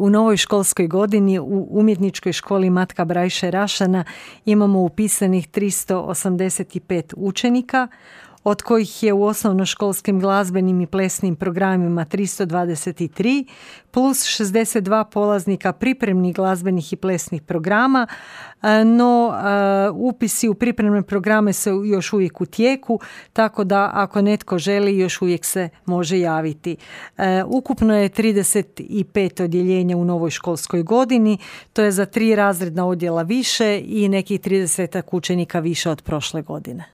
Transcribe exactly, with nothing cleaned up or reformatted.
u novoj školskoj godini u Umjetničkoj školi Matka Brajše Rašana imamo upisanih tristo osamdeset pet učenika, od kojih je u osnovnoškolskim glazbenim i plesnim programima tristo dvadeset tri, plus šezdeset dva polaznika pripremnih glazbenih i plesnih programa, no upisi u pripremne programe su još uvijek u tijeku, tako da ako netko želi još uvijek se može javiti. Ukupno je trideset pet odjeljenja u novoj školskoj godini, to je za tri razredna odjela više i nekih trideset učenika više od prošle godine.